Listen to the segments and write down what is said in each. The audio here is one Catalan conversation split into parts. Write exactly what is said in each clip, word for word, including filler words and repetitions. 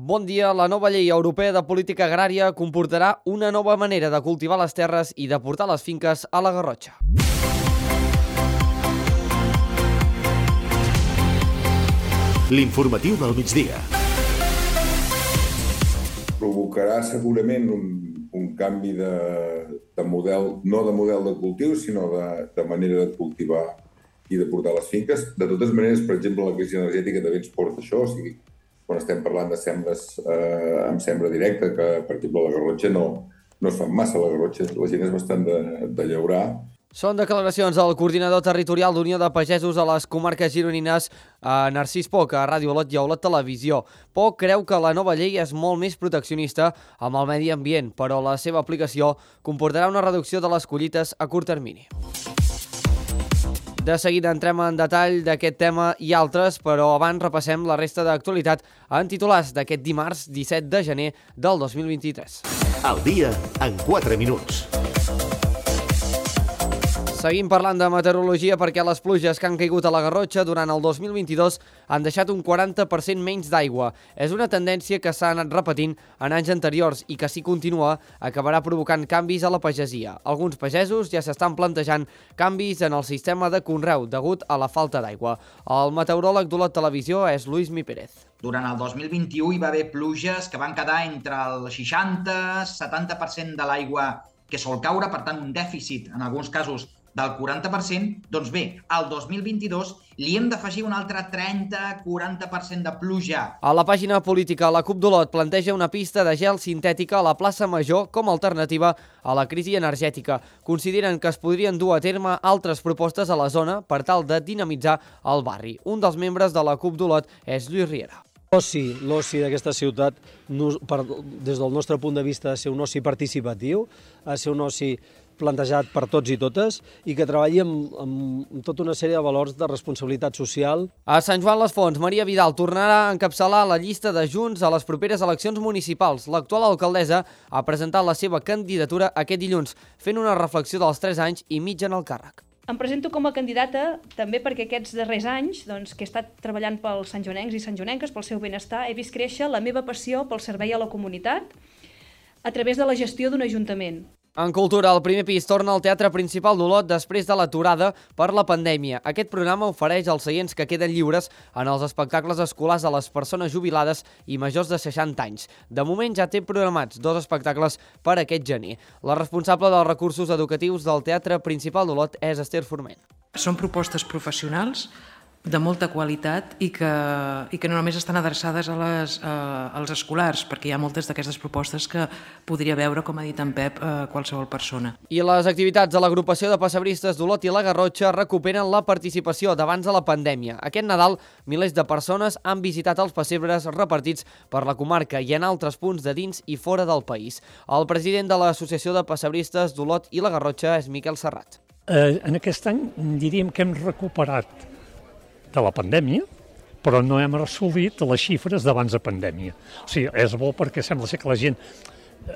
Bon dia. La nova llei europea de política agrària comportarà una nova manera de cultivar les terres i de portar les finques a la Garrotxa. L'informatiu del migdia. Provocarà segurament un, un canvi de, de model, no de model de cultiu, sinó de, de manera de cultivar i de portar les finques. De totes maneres, per exemple, la crisi energètica també ens porta això, o sigui, quan estem parlant de sembres eh, amb sembra directa, que per exemple a la Garrotxa no, no es fan massa, a la Garrotxa la gent és bastant de, de llaurar. Són declaracions del coordinador territorial d'Unió de Pagesos a les comarques gironines, a Narcís Poc, a Ràdio Olot i a Olot Televisió. Poc creu que la nova llei és molt més proteccionista amb el medi ambient, però la seva aplicació comportarà una reducció de les collites a curt termini. De seguida entrem en detall d'aquest tema i altres, però abans repassem la resta d'actualitat en titulars d'aquest dimarts disset de gener del dos mil vint-i-tres. El dia en quatre minuts. Seguim parlant de meteorologia perquè les pluges que han caigut a la Garrotxa durant el dos mil vint-i-dos han deixat un quaranta per cent menys d'aigua. És una tendència que s'ha anat repetint en anys anteriors i que, si continua, acabarà provocant canvis a la pagesia. Alguns pagesos ja s'estan plantejant canvis en el sistema de conreu degut a la falta d'aigua. El meteoròleg d'Olot Televisió és Luis Mi Pérez. Durant el dos mil vint-i-u hi va haver pluges que van quedar entre el seixanta i setanta per cent de l'aigua que sol caure, per tant un dèficit en alguns casos del quaranta per cent, doncs bé, al dos mil vint-i-dos li hem d'afegir un altre trenta a quaranta per cent de pluja. A la pàgina política, la CUP d'Olot planteja una pista de gel sintètica a la plaça Major com a alternativa a la crisi energètica. Consideren que es podrien dur a terme altres propostes a la zona per tal de dinamitzar el barri. Un dels membres de la CUP d'Olot és Lluís Riera. L'oci, l'oci d'aquesta ciutat, per, des del nostre punt de vista, ha de ser un oci participatiu, ha de ser un oci plantejat per tots i totes i que treballi amb, amb tota una sèrie de valors de responsabilitat social. A Sant Joan les Fonts, Maria Vidal tornarà a encapçalar la llista de Junts a les properes eleccions municipals. L'actual alcaldessa ha presentat la seva candidatura aquest dilluns, fent una reflexió dels tres anys i mig en el càrrec. Em presento com a candidata també perquè aquests darrers anys, doncs, que he estat treballant pels santjoanencs i santjoanenques, pel seu benestar, he vist créixer la meva passió pel servei a la comunitat a través de la gestió d'un ajuntament. En cultura, el primer pis torna al Teatre Principal d'Olot després de l'aturada per la pandèmia. Aquest programa ofereix els seients que queden lliures en els espectacles escolars a les persones jubilades i majors de seixanta anys. De moment ja té programats dos espectacles per aquest gener. La responsable dels recursos educatius del Teatre Principal d'Olot és Esther Forment. Són propostes professionals de molta qualitat i que, i que no només estan adreçades a les, a, als escolars, perquè hi ha moltes d'aquestes propostes que podria veure, com ha dit en Pep, eh, qualsevol persona. I les activitats de l'agrupació de pessebristes d'Olot i la Garrotxa recuperen la participació d'abans de la pandèmia. Aquest Nadal, milers de persones han visitat els pessebres repartits per la comarca i en altres punts de dins i fora del país. El president de l'Associació de Pessebristes d'Olot i la Garrotxa és Miquel Serrat. Eh, en aquest any diríem que hem recuperat de la pandèmia, però no hem assolit les xifres d'abans de pandèmia. O sigui, és bo perquè sembla ser que la gent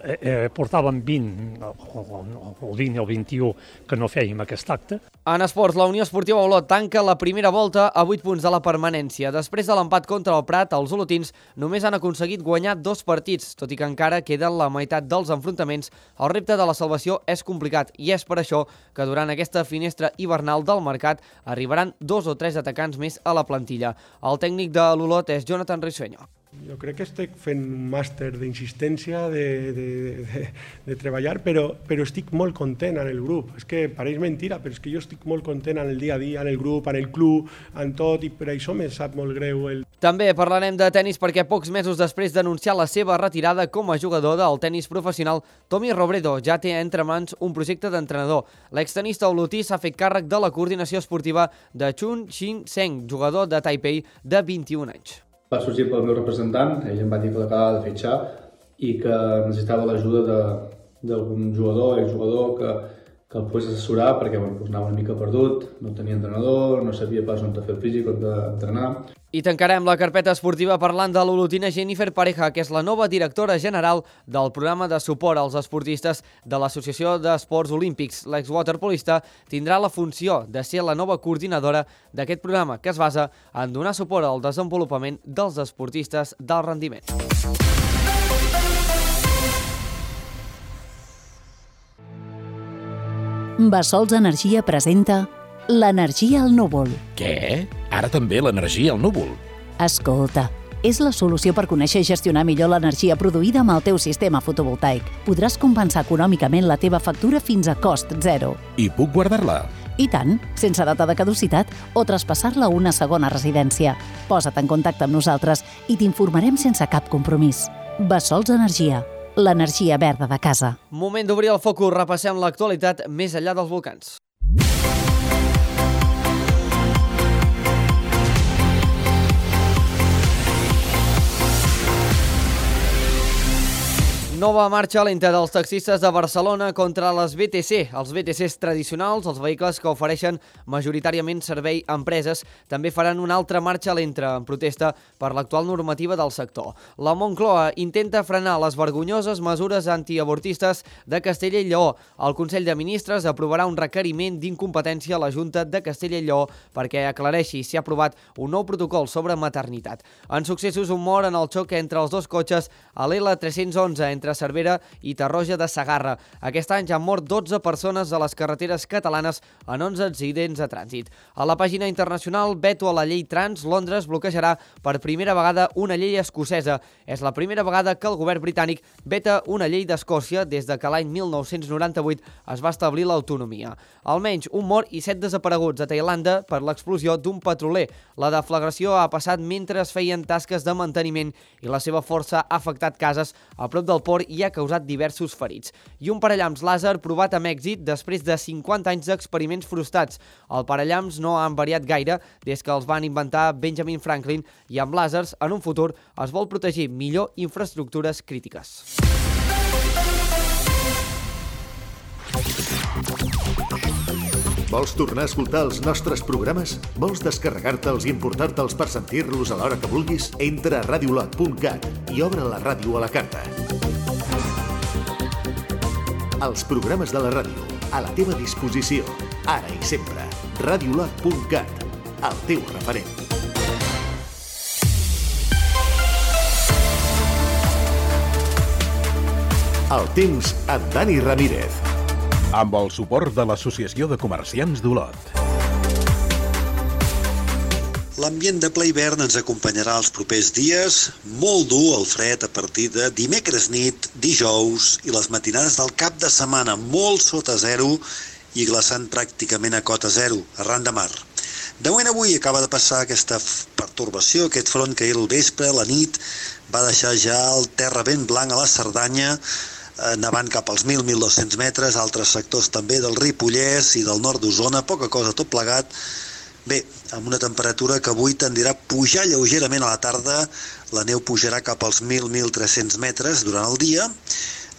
eh, eh, portàvem vint, el vint i el vint-i-u que no fèiem aquest acte. En esports, la Unió Esportiva Olot tanca la primera volta a vuit punts de la permanència. Després de l'empat contra el Prat, els olotins només han aconseguit guanyar dos partits, tot i que encara queden la meitat dels enfrontaments. El repte de la salvació és complicat i és per això que durant aquesta finestra hivernal del mercat arribaran dos o tres atacants més a la plantilla. El tècnic de l'Olot és Jonathan Risueño. Jo crec que estic fent un màster d'insistència, de, de, de, de treballar, però, però estic molt content en el grup. És que pareix mentira, però és que jo estic molt content en el dia a dia, en el grup, en el club, en tot, i per això me sap molt greu. El... També parlarem de tennis perquè pocs mesos després d'anunciar la seva retirada com a jugador del tennis professional, Tommy Robredo ja té entre mans un projecte d'entrenador. L'extenista olotí s'ha fet càrrec de la coordinació esportiva de Chun Shin Seng, jugador de Taipei de vint-i-un anys. Va sorgir pel meu representant, ell em va dir que l'acabava de fitxar i que necessitava l'ajuda d'algun jugador, exjugador, que, que el pogués assessorar perquè bueno, doncs anava una mica perdut, no tenia entrenador, no sabia pas on fer el físic, on d'entrenar. I tancarem la carpeta esportiva parlant de l'olotina Jennifer Pareja, que és la nova directora general del programa de suport als esportistes de l'Associació d'Esports Olímpics. L'exwaterpolista tindrà la funció de ser la nova coordinadora d'aquest programa, que es basa en donar suport al desenvolupament dels esportistes d'alt rendiment. Bassols Energia presenta l'energia al núvol. Què? Ara també l'energia al núvol? Escolta, és la solució per conèixer i gestionar millor l'energia produïda amb el teu sistema fotovoltaic. Podràs compensar econòmicament la teva factura fins a cost zero. I puc guardar-la? I tant, sense data de caducitat o traspassar-la a una segona residència. Posa't en contacte amb nosaltres i t'informarem sense cap compromís. Bassols Energia, l'energia verda de casa. Moment d'obrir el focus, repassem l'actualitat més enllà dels volcans. Nova marxa lenta dels taxistes de Barcelona contra les B T C. Els B T Cs tradicionals, els vehicles que ofereixen majoritàriament servei a empreses, també faran una altra marxa lenta en protesta per l'actual normativa del sector. La Moncloa intenta frenar les vergonyoses mesures antiavortistes de Castella i Lleó. El Consell de Ministres aprovarà un requeriment d'incompetència a la Junta de Castella i Lleó perquè aclareixi si ha aprovat un nou protocol sobre maternitat. En successos, un mort en el xoc entre els dos cotxes a l'L tres-cents onze entre Cervera i Tarroja de Segarra. Aquest any ja han mort dotze persones a les carreteres catalanes en onze accidents de trànsit. A la pàgina internacional, veto a la llei trans, Londres bloquejarà per primera vegada una llei escocesa. És la primera vegada que el govern britànic veta una llei d'Escòcia des de que l'any mil nou-cents noranta-vuit es va establir l'autonomia. Almenys un mort i set desapareguts a Tailàndia per l'explosió d'un petroler. La deflagració ha passat mentre es feien tasques de manteniment i la seva força ha afectat cases a prop del port i ha causat diversos ferits. I un parallamps làser provat amb èxit després de cinquanta anys d'experiments frustrats. Els parallamps no han variat gaire des que els van inventar Benjamin Franklin i amb làsers, en un futur, es vol protegir millor infraestructures crítiques. Vols tornar a escoltar els nostres programes? Vols descarregar-te'ls i importar-te'ls per sentir-los a l'hora que vulguis? Entra a radiolot punt cat i obre la ràdio a la carta. Els programes de la ràdio, a la teva disposició, ara i sempre. radiolot punt cat, el teu referent. El temps amb Dani Ramírez. Amb el suport de l'Associació de Comerciants d'Olot. L'ambient de ple hivern ens acompanyarà els propers dies, molt dur el fred a partir de dimecres nit, dijous i les matinades del cap de setmana, molt sota zero i glaçant pràcticament a cota zero, arran de mar. De moment avui acaba de passar aquesta pertorbació, aquest front que ahir al vespre, la nit, va deixar ja el terra ben blanc a la Cerdanya, nevant cap als mil a mil dos-cents metres, altres sectors també del Ripollès i del nord d'Osona, poca cosa tot plegat. Bé, amb una temperatura que avui tendirà a pujar lleugerament a la tarda, la neu pujarà cap als mil a mil tres-cents metres durant el dia,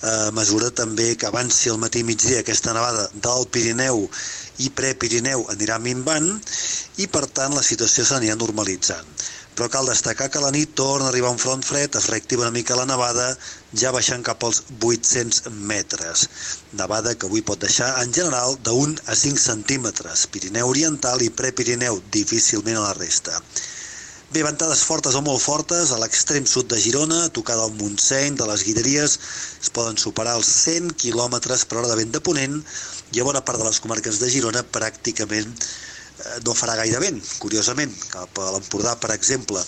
a mesura també que avanci el matí i migdia aquesta nevada del Pirineu i Prepirineu anirà minvant i per tant la situació s'anirà normalitzant. Però cal destacar que a la nit torna a arribar un front fred, es reactiva una mica la nevada, ja baixant cap als vuit-cents metres. Nevada que avui pot deixar, en general, d'un a cinc centímetres. Pirineu oriental i Prepirineu, difícilment a la resta. Bé, ventades fortes o molt fortes, a l'extrem sud de Girona, a tocar del Montseny, de les Guilleries, es poden superar els cent quilòmetres per hora de vent de ponent i a bona part de les comarques de Girona pràcticament no farà gaire vent, curiosament. Cap a l'Empordà, per exemple,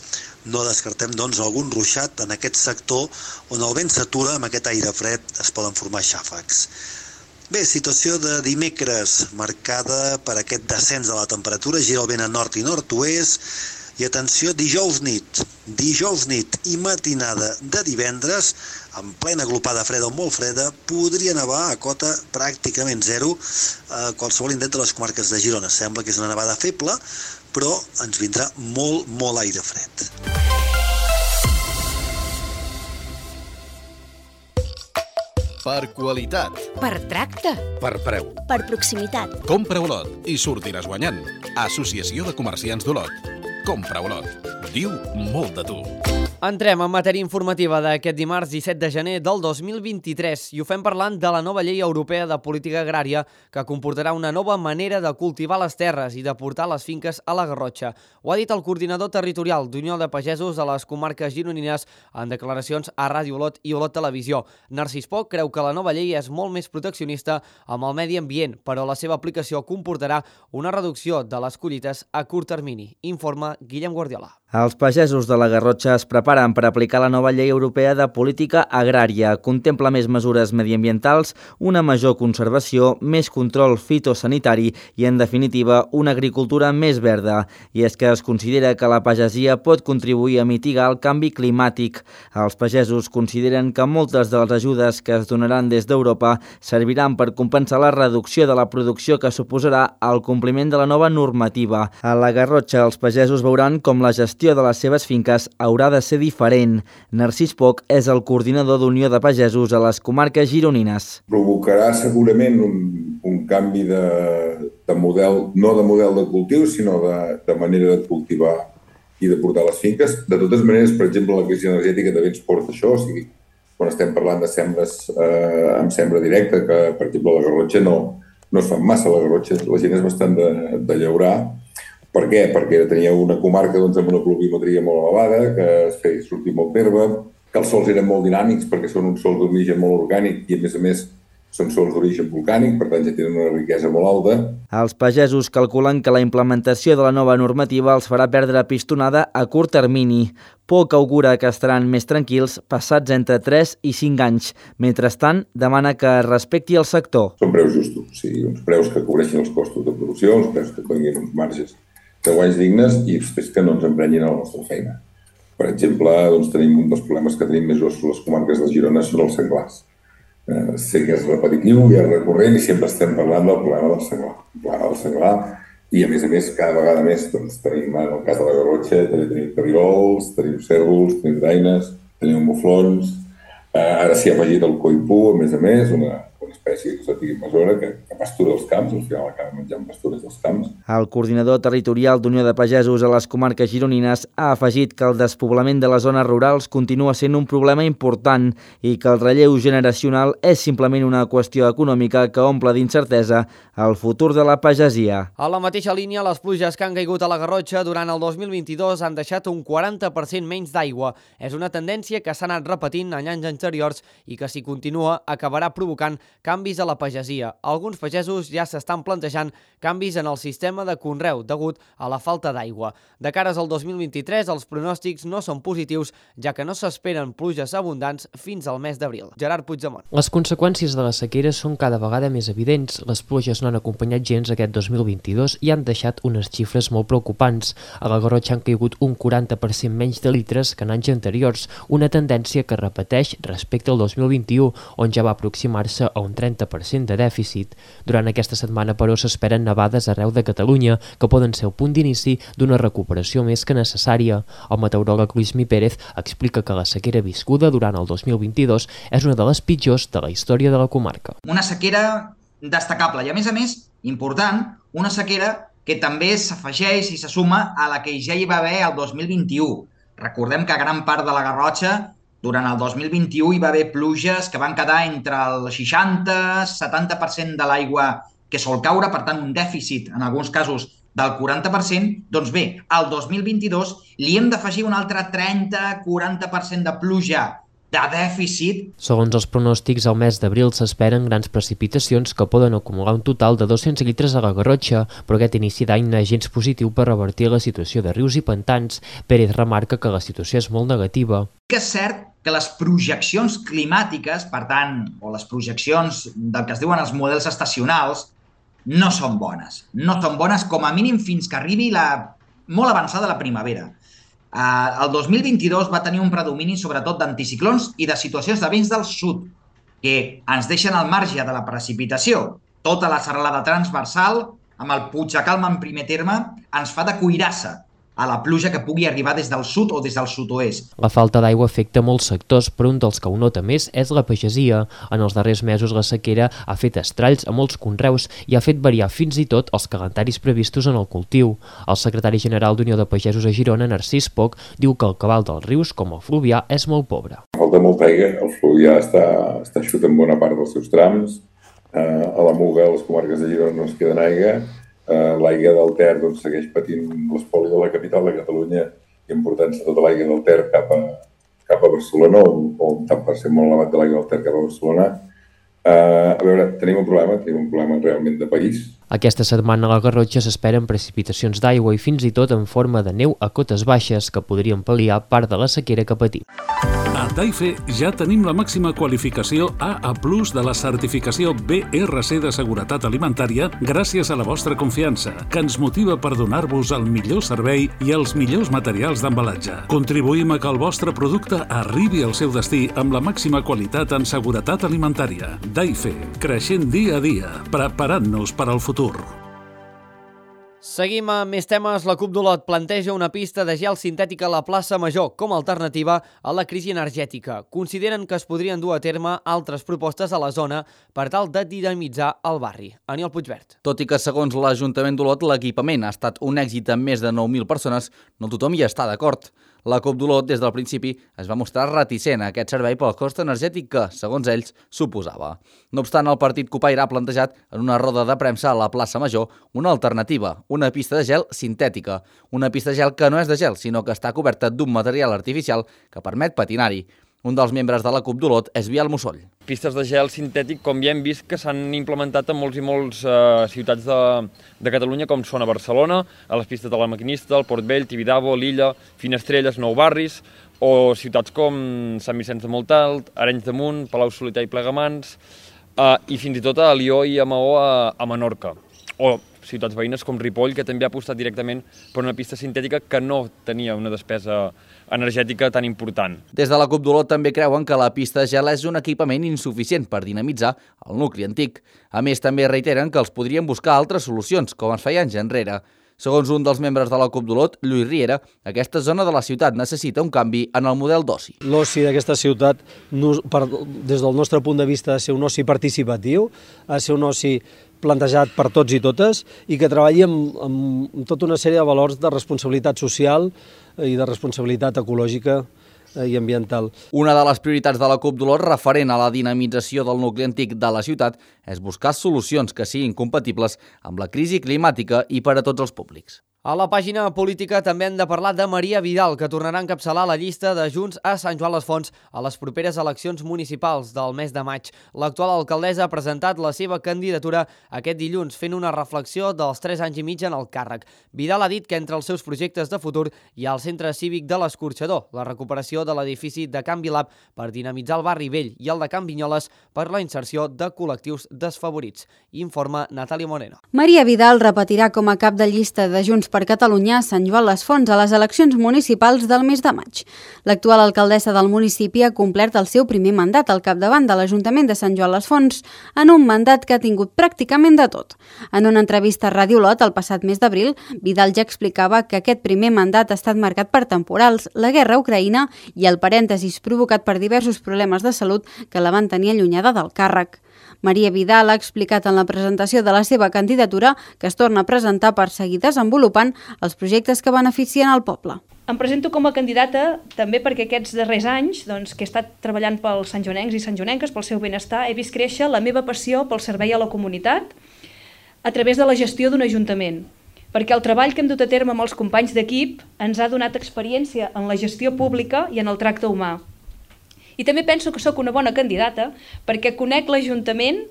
no descartem doncs algun ruixat en aquest sector on el vent s'atura, amb aquest aire fred es poden formar xàfecs. Bé, situació de dimecres marcada per aquest descens de la temperatura, gira el vent a nord i nord-oest, i atenció, dijous nit, dijous nit i matinada de divendres, en plena glopada freda o molt freda, podria nevar a cota pràcticament zero a qualsevol indret de les comarques de Girona. Sembla que és una nevada feble, però ens vindrà molt, molt aire fred. Per qualitat. Per tracte. Per preu. Per proximitat. Compra Olot i sortiràs guanyant. Associació de Comerciants d'Olot. Compra Olot. Diu molt de tu. Entrem en matèria informativa d'aquest dimarts disset de gener del dos mil vint-i-tres i ho fem parlant de la nova llei europea de política agrària que comportarà una nova manera de cultivar les terres i de portar les finques a la Garrotxa. Ho ha dit el coordinador territorial d'Unió de Pagesos de les comarques gironines en declaracions a Ràdio Olot i Olot Televisió. Narcís Poch creu que la nova llei és molt més proteccionista amb el medi ambient, però la seva aplicació comportarà una reducció de les collites a curt termini. Informa Guillem Guardiola. Els pagesos de la Garrotxa es preparen per aplicar la nova llei europea de política agrària. Contempla més mesures mediambientals, una major conservació, més control fitosanitari i, en definitiva, una agricultura més verda. I és que es considera que la pagesia pot contribuir a mitigar el canvi climàtic. Els pagesos consideren que moltes de les ajudes que es donaran des d'Europa serviran per compensar la reducció de la producció que suposarà el compliment de la nova normativa. A la Garrotxa, els pagesos veuran com la gestió de les seves finques haurà de ser diferent. Narcís Poch és el coordinador d'Unió de Pagesos a les comarques gironines. Provocarà segurament un, un canvi de, de model, no de model de cultiu, sinó de, de manera de cultivar i de portar les finques. De totes maneres, per exemple, la crisi energètica també ens porta això, o sigui, quan estem parlant de sembres eh, amb sembra directa, que per exemple a la Garrotxa no, no es fan massa, a la Garrotxa la gent és bastant de, de llaurar. Per què? Perquè tenia una comarca doncs, amb una pluviometria molt elevada, que es feia sortir molt d'herba, que els sols eren molt dinàmics perquè són uns sols d'origen molt orgànic i, a més a més, són sols d'origen volcànic, per tant ja tenen una riquesa molt alta. Els pagesos calculen que la implementació de la nova normativa els farà perdre pistonada a curt termini. Poch augura que estaran més tranquils passats entre tres i cinc anys. Mentrestant, demana que es respecti el sector. Són preus justos, o sigui, uns preus que cobreixin els costos de producció, uns preus que tinguin uns marges de guanys dignes i després que no ens emprenyin a la nostra feina. Per exemple, doncs, tenim un dels problemes que tenim més grossos a les comarques de Girona són els senglars. Eh, sé que és repetitiu i és recurrent i sempre estem parlant del problema del senglar. El problema del senglar i, a més a més, cada vegada més doncs, tenim, en el cas de la Garrotxa, també tenim carirols, tenim cérvols, tenim daines, tenim muflons. Eh, ara s'hi ha afegit el coipú, a més a més, una, una espècie que s'ha tingut mesura que, que pastura els camps, al final acaba menjant pastures dels camps. El coordinador territorial d'Unió de Pagesos a les comarques gironines ha afegit que el despoblament de les zones rurals continua sent un problema important i que el relleu generacional és simplement una qüestió econòmica que omple d'incertesa el futur de la pagesia. A la mateixa línia, les pluges que han caigut a la Garrotxa durant el dos mil vint-i-dos han deixat un quaranta per cent menys d'aigua. És una tendència que s'ha anat repetint en anys anteriors i que, si continua, acabarà provocant canvis a la pagesia. Alguns pagesos ja s'estan plantejant canvis en el sistema de conreu degut a la falta d'aigua. De cares al dos mil vint-i-tres, els pronòstics no són positius, ja que no s'esperen pluges abundants fins al mes d'abril. Gerard Puigdemont. Les conseqüències de la sequera són cada vegada més evidents. Les pluges no han acompanyat gens aquest dos mil vint-i-dos i han deixat unes xifres molt preocupants. A la Garrotxa han caigut un quaranta per cent menys de litres que en anys anteriors, una tendència que repeteix respecte al dos mil vint-i-u, on ja va aproximar-se a un trenta per cent de dèficit. Durant aquesta setmana, però, s'esperen nevades arreu de Catalunya, que poden ser el punt d'inici d'una recuperació més que necessària. El meteoròleg Luismi Pérez explica que la sequera viscuda durant el dos mil vint-i-dos és una de les pitjors de la història de la comarca. Una sequera destacable i, a més a més, important, una sequera que també s'afegeix i se suma a la que ja hi va haver el dos mil vint-i-u. Recordem que gran part de la Garrotxa durant el dos mil vint-i-u hi va haver pluges que van quedar entre el seixanta i setanta per cent de l'aigua que sol caure, per tant un dèficit en alguns casos del quaranta per cent. Doncs bé, al dos mil vint-i-dos li hem d'afegir un altre trenta a quaranta per cent de pluja de dèficit. Segons els pronòstics, al mes d'abril s'esperen grans precipitacions que poden acumular un total de dos-cents litres a la Garrotxa, però aquest inici d'any no és gens positiu per revertir la situació de rius i pantans. Pérez remarca que la situació és molt negativa. Que és cert que les projeccions climàtiques, per tant, o les projeccions del que es diuen els models estacionals, no són bones. No són bones com a mínim fins que arribi la molt avançada la primavera. Uh, el dos mil vint-i-dos va tenir un predomini sobretot d'anticiclons i de situacions de vents del sud, que ens deixen al marge de la precipitació. Tota la serralada transversal, amb el Puigdecalma en primer terme, ens fa de cuirassa. a la pluja que pugui arribar des del sud o des del sud-oest. La falta d'aigua afecta molts sectors, però un dels que ho nota més és la pagesia. En els darrers mesos la sequera ha fet estralls a molts conreus i ha fet variar fins i tot els calendaris previstos en el cultiu. El secretari general d'Unió de Pagesos a Girona, Narcís Poch, diu que el cabal dels rius, com el Fluvià, és molt pobre. Falta molta aigua, el Fluvià està, està eixut en bona part dels seus trams, eh, a la Muga, a les comarques de Girona no es queden aigua. Uh, l'aigua del Ter doncs, segueix patint l'espoli de la capital de Catalunya i emportant-se tota l'aigua del Ter cap a, cap a Barcelona, o, o un tant per cent molt elevat de l'aigua del Ter cap a Barcelona. Uh, a veure, tenim un problema, tenim un problema realment de país. Aquesta setmana a la Garrotxa s'esperen precipitacions d'aigua i fins i tot en forma de neu a cotes baixes que podrien pal·liar part de la sequera que patim. A Daife ja tenim la màxima qualificació A A plus de la certificació B R C de seguretat alimentària gràcies a la vostra confiança, que ens motiva per donar-vos el millor servei i els millors materials d'embalatge. Contribuïm a que el vostre producte arribi al seu destí amb la màxima qualitat en seguretat alimentària. Daife, creixent dia a dia, preparant-nos per al futur. Seguim amb més temes. La CUP d'Olot planteja una pista de gel sintètica a la plaça Major com a alternativa a la crisi energètica. Consideren que es podrien dur a terme altres propostes a la zona per tal de dinamitzar el barri. Aniol Puigvert. Tot i que, segons l'Ajuntament d'Olot, l'equipament ha estat un èxit amb més de nou mil persones, no tothom hi està d'acord. La CUP d'Olot, des del principi, es va mostrar reticent a aquest servei pel cost energètic que, segons ells, suposava. No obstant, el partit copaire ha plantejat en una roda de premsa a la plaça Major una alternativa, una pista de gel sintètica. Una pista de gel que no és de gel, sinó que està coberta d'un material artificial que permet patinar-hi. Un dels membres de la CUP d'Olot és Biel Musoll. Pistes de gel sintètic, com ja hem vist, que s'han implementat en molts i molts eh, ciutats de, de Catalunya, com són a Barcelona, a les pistes de la Maquinista, el Port Vell, Tibidabo, Lilla, Finestrelles, Nou Barris, o ciutats com Sant Vicenç de Montalt, Arenys de Munt, Palau Solità i Plegamans, eh, i fins i tot a Lió i a Maó a, a Menorca. O ciutats veïnes com Ripoll, que també ha apostat directament per una pista sintètica que no tenia una despesa energètica tan important. Des de la CUP d'Olot també creuen que la pista de gel és un equipament insuficient per dinamitzar el nucli antic. A més, també reiteren que els podrien buscar altres solucions, com es feia anys enrere. Segons un dels membres de la CUP d'Olot, Lluís Riera, aquesta zona de la ciutat necessita un canvi en el model d'oci. L'oci d'aquesta ciutat, des del nostre punt de vista, ha de ser un oci participatiu, ha de ser un oci plantejat per tots i totes i que treballi amb, amb tota una sèrie de valors de responsabilitat social i de responsabilitat ecològica i ambiental. Una de les prioritats de la CUP d'Olot referent a la dinamització del nucli antic de la ciutat és buscar solucions que siguin compatibles amb la crisi climàtica i per a tots els públics. A la pàgina política també hem de parlar de Maria Vidal, que tornarà a encapçalar la llista de Junts a Sant Joan les Fonts a les properes eleccions municipals del mes de maig. L'actual alcaldessa ha presentat la seva candidatura aquest dilluns, fent una reflexió dels tres anys i mig en el càrrec. Vidal ha dit que entre els seus projectes de futur hi ha el centre cívic de l'Escorxador, la recuperació de l'edifici de Can Vilap per dinamitzar el barri vell i el de Can Vinyoles per la inserció de col·lectius desfavorits. Informa Natàlia Moreno. Maria Vidal repetirà com a cap de llista de Junts per Catalunya a Sant Joan les Fonts a les eleccions municipals del mes de maig. L'actual alcaldessa del municipi ha complert el seu primer mandat al capdavant de l'Ajuntament de Sant Joan les Fonts en un mandat que ha tingut pràcticament de tot. En una entrevista a Ràdio Olot el passat mes d'abril, Vidal ja explicava que aquest primer mandat ha estat marcat per temporals, la guerra a Ucraïna i el parèntesis provocat per diversos problemes de salut que la van tenir allunyada del càrrec. Maria Vidal ha explicat en la presentació de la seva candidatura que es torna a presentar per seguir desenvolupant els projectes que beneficien el poble. Em presento com a candidata també perquè aquests darrers anys, doncs, que he estat treballant pels santjoanencs i santjoanenques, pel seu benestar, he vist créixer la meva passió pel servei a la comunitat a través de la gestió d'un ajuntament. Perquè el treball que hem dut a terme amb els companys d'equip ens ha donat experiència en la gestió pública i en el tracte humà. I també penso que sóc una bona candidata perquè conec l'Ajuntament,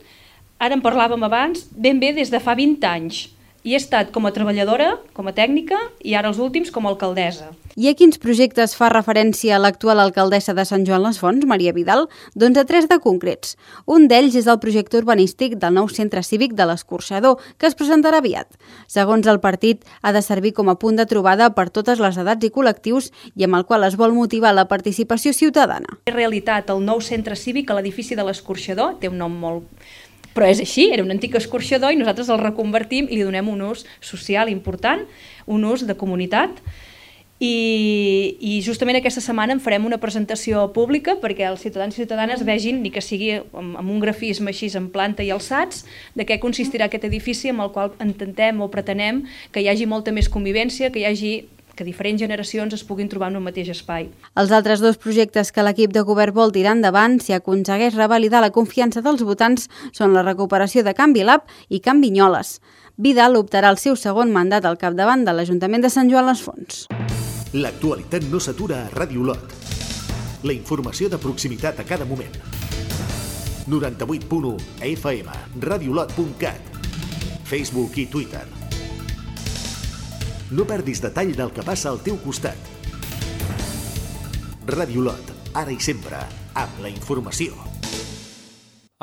ara en parlàvem abans, ben bé des de fa vint anys. I he estat com a treballadora, com a tècnica i ara els últims com a alcaldessa. I a quins projectes fa referència l'actual alcaldessa de Sant Joan les Fonts, Maria Vidal? Doncs a tres de concrets. Un d'ells és el projecte urbanístic del nou centre cívic de l'Escorxador, que es presentarà aviat. Segons el partit, ha de servir com a punt de trobada per totes les edats i col·lectius i amb el qual es vol motivar la participació ciutadana. En realitat, el nou centre cívic a l'edifici de l'Escorxador té un nom molt... Però és així, era un antic escorxador i nosaltres el reconvertim i li donem un ús social important, un ús de comunitat. I, i justament aquesta setmana en farem una presentació pública perquè els ciutadans i ciutadanes vegin, ni que sigui amb, amb un grafisme així en planta i alçats, de què consistirà aquest edifici amb el qual intentem o pretenem que hi hagi molta més convivència, que hi hagi que diferents generacions es puguin trobar en un mateix espai. Els altres dos projectes que l'equip de govern vol tirar endavant si aconsegueix revalidar la confiança dels votants són la recuperació de Can Vilap i Can Vinyoles. Vidal optarà al seu segon mandat al capdavant de l'Ajuntament de Sant Joan les Fonts. L'actualitat no s'atura a Ràdio Olot. La informació de proximitat a cada moment. noranta-vuit punt u F M, radiolot punt cat, Facebook i Twitter. No perdis detall del que passa al teu costat. Ràdio Olot, ara i sempre, amb la informació.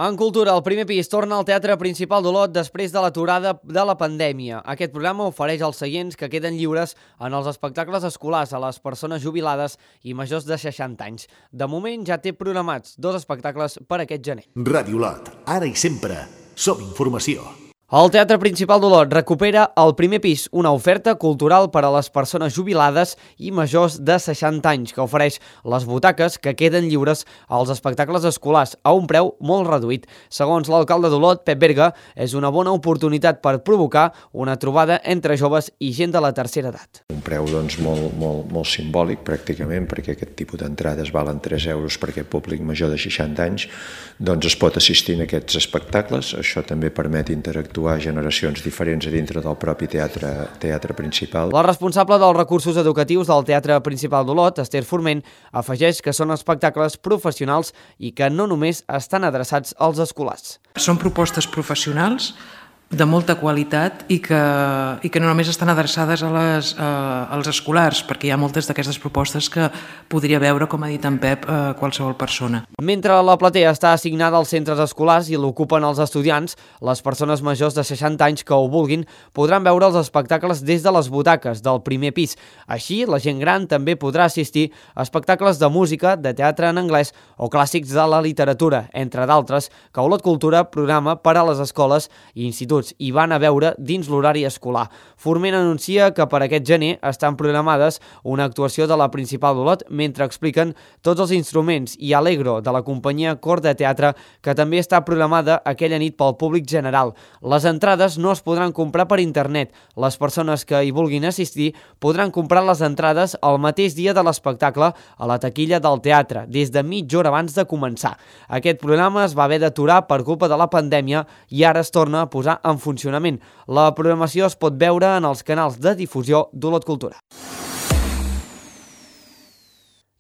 En cultura, el primer pis torna al Teatre Principal d'Olot després de l'aturada de la pandèmia. Aquest programa ofereix els seients que queden lliures en els espectacles escolars a les persones jubilades i majors de seixanta anys. De moment ja té programats dos espectacles per aquest gener. Ràdio Olot, ara i sempre, som informació. El Teatre Principal d'Olot recupera el primer pis, una oferta cultural per a les persones jubilades i majors de seixanta anys, que ofereix les butaques que queden lliures als espectacles escolars a un preu molt reduït. Segons l'alcalde d'Olot, Pep Berga, és una bona oportunitat per provocar una trobada entre joves i gent de la tercera edat. Un preu doncs, molt, molt, molt simbòlic, pràcticament, perquè aquest tipus d'entrades valen tres euros per aquest públic major de seixanta anys, doncs es pot assistir a aquests espectacles. Això també permet interactuar generacions diferents a dintre del propi teatre, teatre principal. La responsable dels recursos educatius del Teatre Principal d'Olot, Esther Forment, afegeix que són espectacles professionals i que no només estan adreçats als escolars. Són propostes professionals de molta qualitat i que, i que no només estan adreçades a les, a, als escolars, perquè hi ha moltes d'aquestes propostes que podria veure, com ha dit en Pep, eh, qualsevol persona. Mentre la platea està assignada als centres escolars i l'ocupen els estudiants, les persones majors de seixanta anys que ho vulguin podran veure els espectacles des de les butaques del primer pis. Així, la gent gran també podrà assistir a espectacles de música, de teatre en anglès o clàssics de la literatura, entre d'altres, que Olot Cultura programa per a les escoles i instituts i van a veure dins l'horari escolar. Forment anuncia que per aquest gener estan programades una actuació de la Principal d'Olot mentre expliquen tots els instruments i Allegro de la companyia Cor de Teatre que també està programada aquella nit pel públic general. Les entrades no es podran comprar per internet. Les persones que hi vulguin assistir podran comprar les entrades el mateix dia de l'espectacle a la taquilla del teatre, des de mitja hora abans de començar. Aquest programa es va haver d'aturar per culpa de la pandèmia i ara es torna a posar en funcionament. La programació es pot veure en els canals de difusió d'Olot Cultura.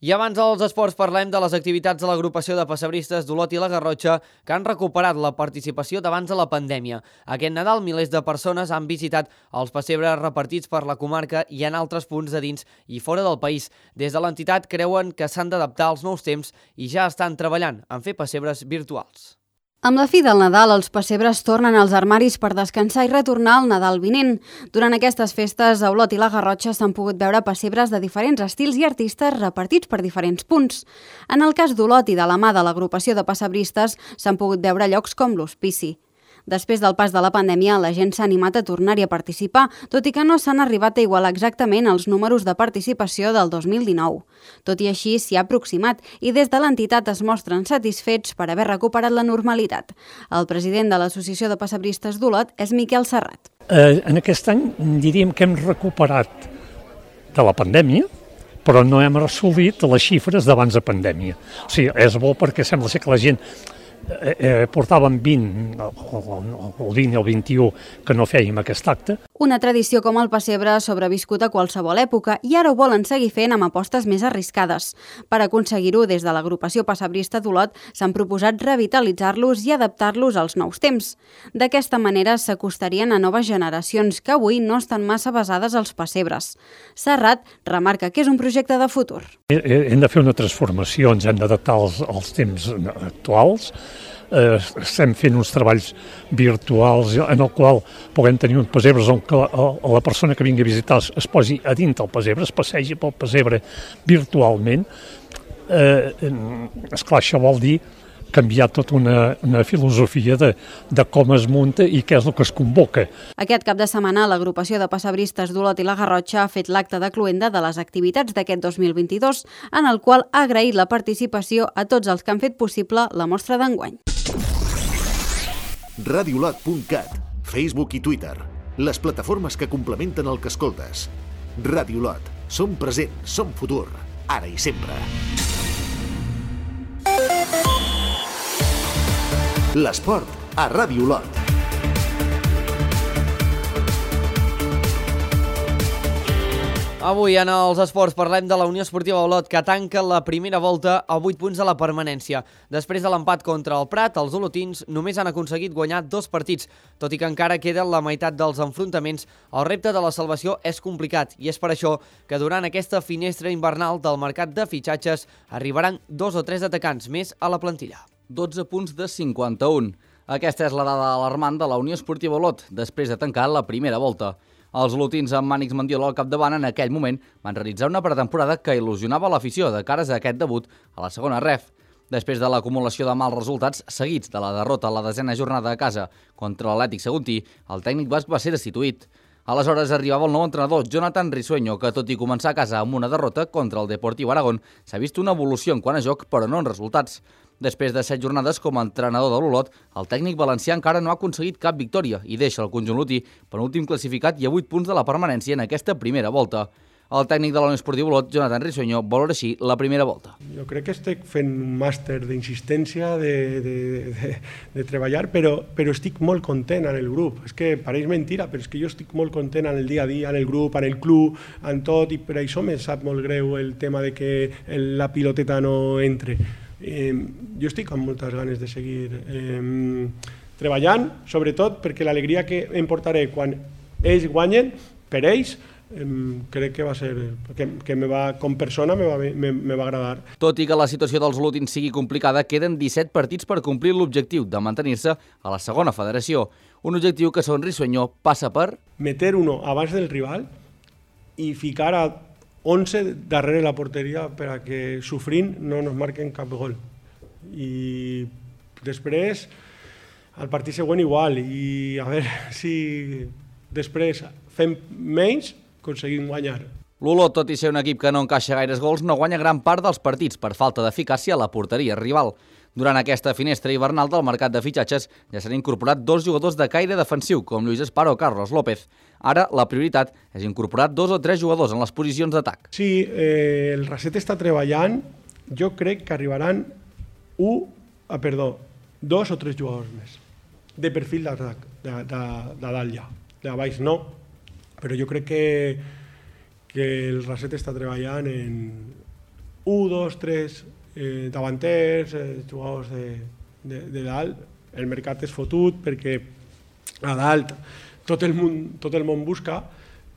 I abans dels esports parlem de les activitats de l'agrupació de pessebristes d'Olot i la Garrotxa que han recuperat la participació d'abans de la pandèmia. Aquest Nadal milers de persones han visitat els pessebres repartits per la comarca i en altres punts de dins i fora del país. Des de l'entitat creuen que s'han d'adaptar als nous temps i ja estan treballant en fer pessebres virtuals. Amb la fi del Nadal, els pessebres tornen als armaris per descansar i retornar al Nadal vinent. Durant aquestes festes, a Olot i la Garrotxa s'han pogut veure pessebres de diferents estils i artistes repartits per diferents punts. En el cas d'Olot i de la mà de l'agrupació de pessebristes, s'han pogut veure llocs com l'Hospici. Després del pas de la pandèmia, la gent s'ha animat a tornar-hi a participar, tot i que no s'han arribat a igualar exactament els números de participació del dos mil dinou. Tot i així, s'hi ha aproximat i des de l'entitat es mostren satisfets per haver recuperat la normalitat. El president de l'Associació de Pessebristes d'Olot és Miquel Serrat. Eh, en aquest any diríem que hem recuperat de la pandèmia, però no hem assolit les xifres d'abans de pandèmia. O sigui, és bo perquè sembla ser que la gent Eh, eh, portàvem vint, el vint i el vint-i-u que no fèiem aquest acte. Una tradició com el pessebre ha sobreviscut a qualsevol època i ara ho volen seguir fent amb apostes més arriscades. Per aconseguir-ho, des de l'agrupació pessebrista d'Olot s'han proposat revitalitzar-los i adaptar-los als nous temps. D'aquesta manera s'acostarien a noves generacions que avui no estan massa basades als pessebres. Serrat remarca que és un projecte de futur. Hem de fer una transformació, ens hem d'adaptar als, als temps actuals. Eh, estem fent uns treballs virtuals en el qual puguem tenir uns pessebres on que la, la persona que vingui a visitar es, es posi a dins del pessebre, es passegi pel pessebre virtualment. Eh, esclar, això vol dir canviar tota una, una filosofia de, de com es munta i què és el que es convoca. Aquest cap de setmana, l'agrupació de passebristes d'Olot i la Garrotxa ha fet l'acte de cloenda de les activitats d'aquest dos mil vint-i-dos, en el qual ha agraït la participació a tots els que han fet possible la mostra d'enguany. radiolot punt cat, Facebook i Twitter, les plataformes que complementen el que escoltes. Radiolot, som present, som futur, ara i sempre. L'esport a Radiolot. Avui en els esports parlem de la Unió Esportiva Olot, que tanca la primera volta a vuit punts de la permanència. Després de l'empat contra el Prat, els olotins només han aconseguit guanyar dos partits. Tot i que encara queden la meitat dels enfrontaments, el repte de la salvació és complicat i és per això que durant aquesta finestra invernal del mercat de fitxatges arribaran dos o tres atacants més a la plantilla. dotze punts de cinquanta-un. Aquesta és la dada alarmant de la Unió Esportiva Olot, després de tancar la primera volta. Els olotins amb Mànix Mandiola al capdavant en aquell moment van realitzar una pretemporada que il·lusionava l'afició de cares a aquest debut a la segona ref. Després de l'acumulació de mals resultats seguits de la derrota a la desena jornada a casa contra l'Atlètic Saguntí, el tècnic basc va ser destituït. Aleshores arribava el nou entrenador, Jonathan Risueño, que tot i començar a casa amb una derrota contra el Deportiu Aragón, s'ha vist una evolució en quant a joc, però no en resultats. Després de set jornades com a entrenador de l'Olot, el tècnic valencià encara no ha aconseguit cap victòria i deixa el conjunt lotí penúltim classificat i a vuit punts de la permanència en aquesta primera volta. El tècnic de la Unió Esportiva Olot, Jonathan Risueño, valora així la primera volta. Jo crec que estic fent un màster d'insistència, de, de, de, de treballar, però, però estic molt content en el grup. És que pareix mentira, però és que jo estic molt content en el dia a dia, en el grup, en el club, en tot, i per això me sap molt greu el tema de que la piloteta no entre. Eh, jo estic amb moltes ganes de seguir eh, treballant, sobretot perquè l'alegria que em portaré quan ells guanyen, per ells, eh, crec que va ser, que, que me va, com persona me va, me, me va agradar. Tot i que la situació dels olotins sigui complicada, queden disset partits per complir l'objectiu de mantenir-se a la segona federació. Un objectiu que, segons Risueño, passa per meter uno abans del rival i ficar a onze darrere la porteria per a que sofrint no nos marquen cap gol. I després, al partit següent igual, i a veure si després fem menys, aconseguim guanyar. L'Olot, tot i ser un equip que no encaixa gaires gols, no guanya gran part dels partits per falta d'eficàcia a la porteria rival. Durant aquesta finestra hivernal del mercat de fitxatges ja s'han incorporat dos jugadors de caire defensiu, com Lluís Esparo o Carlos López. Ara la prioritat és incorporar dos o tres jugadors en les posicions d'atac. Sí, eh, el Raset està treballant. Jo crec que arribaran un, ah, perdó, dos o tres jugadors més de perfil d'atac, de, de, de dalt ja. De baix no, però jo crec que, que el Raset està treballant en un, dos, tres eh, davanters, eh, jugadors de, de, de dalt. El mercat és fotut perquè a dalt tot el món, tot el món busca,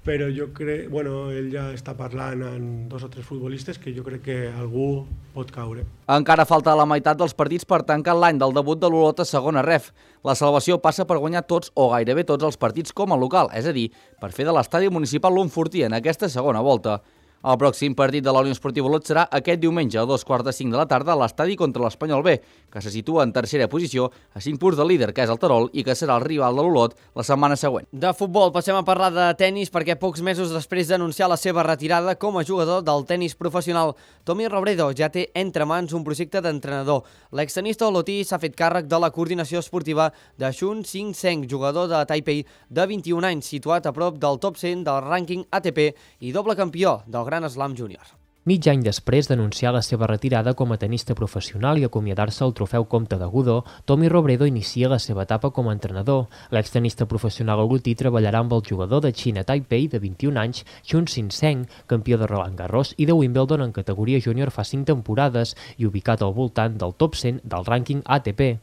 però jo crec, bueno, ell ja està parlant amb dos o tres futbolistes que jo crec que algú pot caure. Encara falta la meitat dels partits per tancar l'any del debut de l'Olot a segona ref. La salvació passa per guanyar tots o gairebé tots els partits com a local, és a dir, per fer de l'estadi municipal l'Unfortí en aquesta segona volta. El pròxim partit de la Unió Esportiva Olot serà aquest diumenge a dos quarts de cinc de la tarda a l'estadi contra l'Espanyol B, que se situa en tercera posició a cinc punts del líder, que és el Terol, i que serà el rival de l'Olot la setmana següent. De futbol passem a parlar de tennis perquè pocs mesos després d'anunciar la seva retirada com a jugador del tennis professional, Tommy Robredo ja té entre mans un projecte d'entrenador. L'extenista olotí s'ha fet càrrec de la coordinació esportiva de Xun Xing-Seng, jugador de Taipei de vint-i-un anys, situat a prop del top cent del rànquing A T P i doble campió del Gran Slam Júnior. Mig any després d'anunciar la seva retirada com a tenista professional i acomiadar-se al trofeu Comte de Godó, Tommy Robredo inicia la seva etapa com a entrenador. L'extenista professional olotí treballarà amb el jugador de Xina Taipei de vint-i-un anys, Xun Xing-Seng, campió de Roland Garros i de Wimbledon en categoria júnior fa cinc temporades i ubicat al voltant del top cent del rànquing A T P.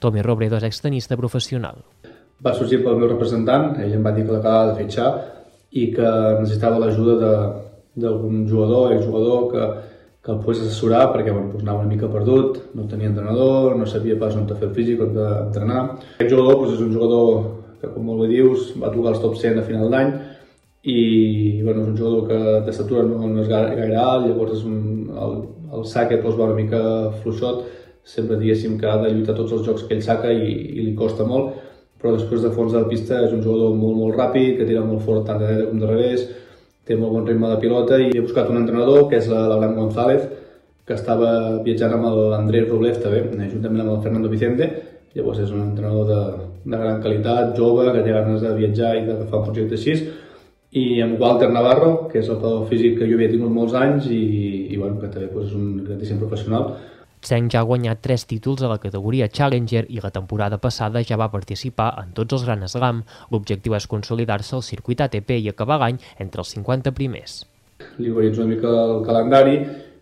Tommy Robredo és extenista professional. Va sorgir pel meu representant, ell em va dir que l'acabava de fitxar i que necessitava l'ajuda de d'algun jugador, exjugador que, que el pogués assessorar perquè bueno, pues anava una mica perdut, no tenia entrenador, no sabia pas on fer el físic, on entrenar. Aquest jugador pues, és un jugador que, com molt bé dius, va tocar els top cent a final d'any i bueno, és un jugador que d'estatura no, no és gaire alt, llavors és un, el, el saque pues, va una mica fluixot, sempre diguéssim que ha de lluitar tots els jocs que ell saca i, i li costa molt, però després de fons de la pista és un jugador molt, molt ràpid, que tira molt fort tant de dreta com de revés, té molt bon ritme de pilota i he buscat un entrenador, que és l'Abraham González, que estava viatjant amb l'Andrés Rublev també, juntament amb el Fernando Vicente. Llavors és un entrenador de, de gran qualitat, jove, que té ganes de viatjar i d'agafar un projecte així. I amb Walter Navarro, que és el preparador físic que jo havia tingut molts anys i, i bueno, que també pues, és un grandíssim professional. Tseng ja ha guanyat tres títols a la categoria Challenger i la temporada passada ja va participar en tots els Grand Slam. L'objectiu és consolidar-se al circuit A T P i acabar l'any entre els cinquanta primers. Li organitzo una mica el calendari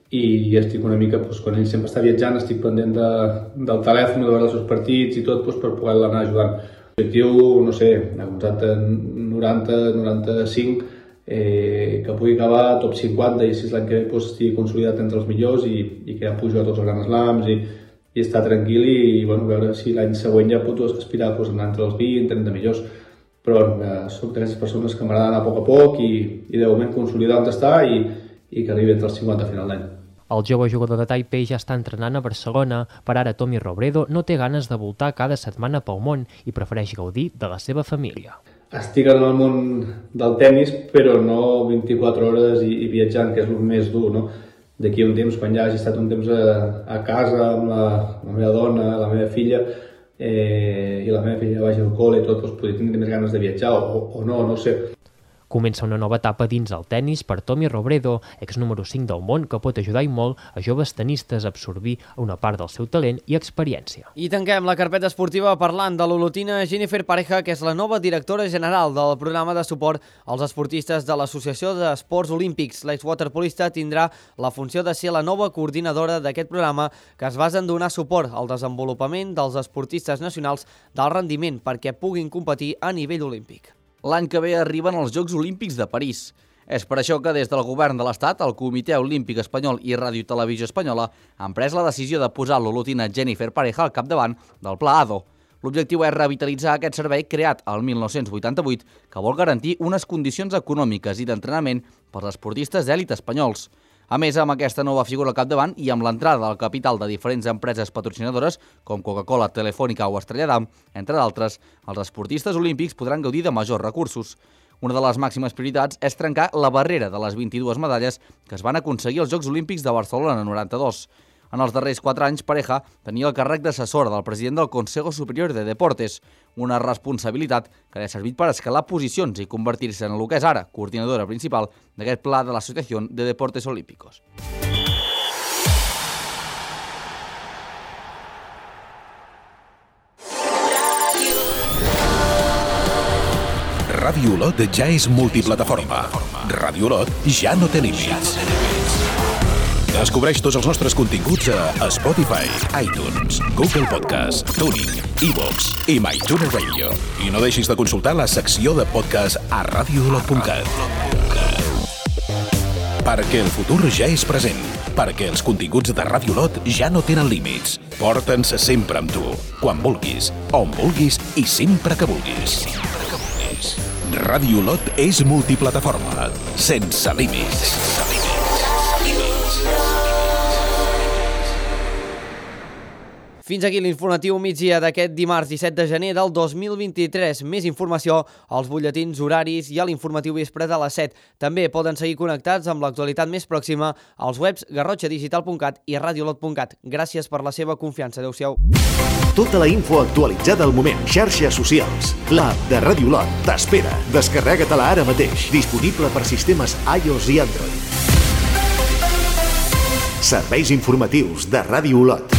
i estic una mica, doncs, quan ell sempre està viatjant, estic pendent de, del telèfon, de veure els seus partits i tot, doncs, per poder l'anar ajudant. L'objectiu, no sé, ha començat en noranta, noranta-cinc, eh, que pugui acabar top cinquanta i si l'any que ve doncs, estigui consolidat entre els millors i, i que ja pugui jugar tots els Grand Slams i, i estar tranquil i, i bueno, veure si l'any següent ja pot aspirar doncs, anar entre els vint, trenta millors. Però bueno, soc d'aquestes persones que m'agrada anar a poc a poc i, i de moment consolidar on està i, i que arribi entre els cinquanta a final d'any. El jove jugador de Taipei ja està entrenant a Barcelona. Per ara, Tommy Robredo no té ganes de voltar cada setmana pel món i prefereix gaudir de la seva família. Estic en el món del tennis, però no vint-i-quatre hores i, i viatjant, que és el més dur, no? D'aquí un temps, quan ja hagi estat un temps a, a casa amb la, la meva dona, la meva filla, eh, i la meva filla vagi al col·le i tot, doncs podria tenir més ganes de viatjar o, o no, no sé. Comença una nova etapa dins el tennis per Tommy Robredo, ex número cinc del món, que pot ajudar i molt a joves tenistes a absorbir una part del seu talent i experiència. I tanquem la carpeta esportiva parlant de l'olotina Jennifer Pareja, que és la nova directora general del programa de suport als esportistes de l'Associació d'Esports Olímpics. L'exwaterpolista tindrà la funció de ser la nova coordinadora d'aquest programa, que es basa en donar suport al desenvolupament dels esportistes nacionals d'alt rendiment perquè puguin competir a nivell olímpic. L'any que ve arriben els Jocs Olímpics de París. És per això que des del govern de l'Estat, el Comitè Olímpic Espanyol i Ràdio i Televisió Espanyola han pres la decisió de posar l'olotina Jennifer Pareja al capdavant del Pla A D O. L'objectiu és revitalitzar aquest servei creat al mil nou-cents vuitanta-vuit que vol garantir unes condicions econòmiques i d'entrenament pels esportistes d'èlit espanyols. A més, amb aquesta nova figura al capdavant i amb l'entrada del capital de diferents empreses patrocinadores, com Coca-Cola, Telefònica o Estrella d'Am, entre d'altres, els esportistes olímpics podran gaudir de majors recursos. Una de les màximes prioritats és trencar la barrera de les vint-i-dues medalles que es van aconseguir als Jocs Olímpics de Barcelona noranta-dos. En els darrers quatre anys, Pareja tenia el càrrec d'assessora del president del Consejo Superior de Deportes, una responsabilitat que li ha servit per escalar posicions i convertir-se en el que és ara coordinadora principal d'aquest pla de l'Associació de Deportes Olímpicos. Ràdio Olot ja és multiplataforma. Ràdio Olot ja no té límits. Descobreix tots els nostres continguts a Spotify, iTunes, Google Podcast, TuneIn, iVoox i MyTuner Radio. I no deixis de consultar la secció de podcast a radio olot punt cat. Perquè el futur ja és present. Perquè els continguts de Ràdio Olot ja no tenen límits. Porta'ns sempre amb tu, quan vulguis, on vulguis i sempre que vulguis. Ràdio Olot és multiplataforma, sense límits. Fins aquí l'informatiu migdia d'aquest dimarts disset de gener del dos mil vint-i-tres. Més informació als butlletins horaris i a l'informatiu vespre de les set. També poden seguir connectats amb l'actualitat més pròxima als webs garrotxa digital punt cat i radiolot punt cat. Gràcies per la seva confiança. Adéu-siau. Tota la info actualitzada al moment. Xarxes socials. L'app de Ràdio Olot t'espera. Descarrega-te-la ara mateix. Disponible per sistemes iOS i Android. Serveis informatius de Ràdio Olot.